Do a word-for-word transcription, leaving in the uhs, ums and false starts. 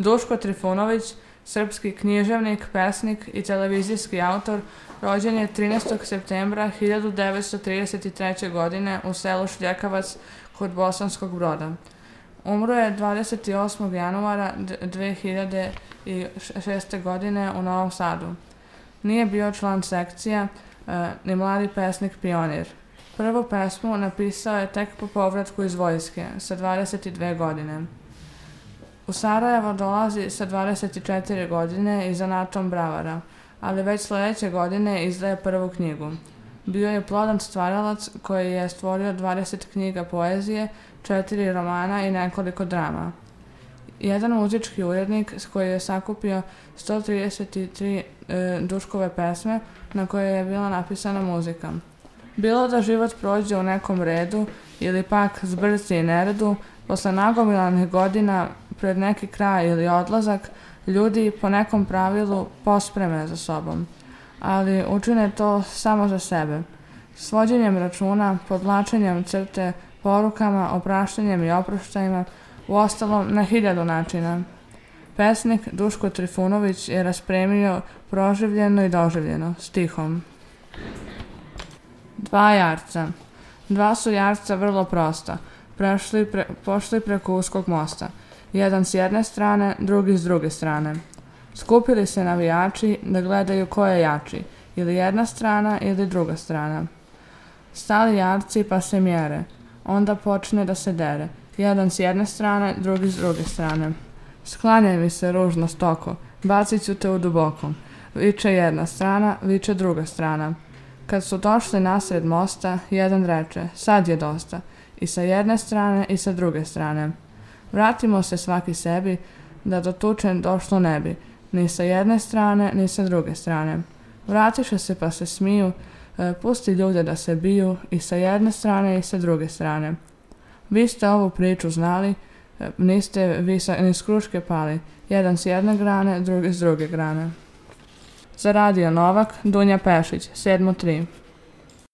Duško Trifunović, srpski književnik, pesnik i televizijski autor, rođen je trinaestog septembra hiljadu devetsto trideset treće. godine u selu Šljekavac kod Bosanskog Broda. Umro je dvadeset osmog januara dve hiljade šeste. godine u Novom Sadu. Nije bio član sekcija, ni mladi pesnik pionir. Prvu pesmu napisao je tek po povratku iz vojske, sa dvadeset dve godine. U Sarajevo dolazi sa dvadeset četiri godine i zanatom bravara, ali već sledeće godine izdaje prvu knjigu. Bio je plodan stvaralac koji je stvorio dvadeset knjiga poezije, četiri romana i nekoliko drama. Jedan muzički urednik s koji je sakupio sto trideset tri e, Duškove pesme na koje je bila napisana muzika. Bilo da život prođe u nekom redu ili pak zbrci i neredu, posle nagomilanih godina pred neki kraj ili odlazak, ljudi po nekom pravilu pospreme za sobom, ali učine to samo za sebe. Svođenjem računa, podvlačenjem crte, porukama, opraštanjem i oproštajima, uostalom na hiljadu načina. Pesnik Duško Trifunović je raspremio proživljeno i doživljeno, stihom. Dva jarca. Dva su jarca vrlo prosta, prešli pre, pošli preko uskog mosta. Jedan s jedne strane, drugi s druge strane. Skupili se navijači da gledaju ko je jači, ili jedna strana ili druga strana. Stali jarci pa se mjere, onda počne da se dere. Jedan s jedne strane, drugi s druge strane. Sklanjaj mi se ružno stoko, bacit ću te u duboko. Viče jedna strana, viče druga strana. Kad su došli nasred mosta, jedan reče, sad je dosta. I sa jedne strane i sa druge strane. Vratimo se svaki sebi, da do tuče došlo ne bi, ni sa jedne strane, ni sa druge strane. Vratiše se pa se smiju, e, pusti ljude da se biju i sa jedne strane i sa druge strane. Vi ste ovu priču znali, e, niste vi sa, ni s kruške pali, jedan s jedne grane, drugi s druge grane. Za Radio Novak, Dunja Pešić, sedam tri.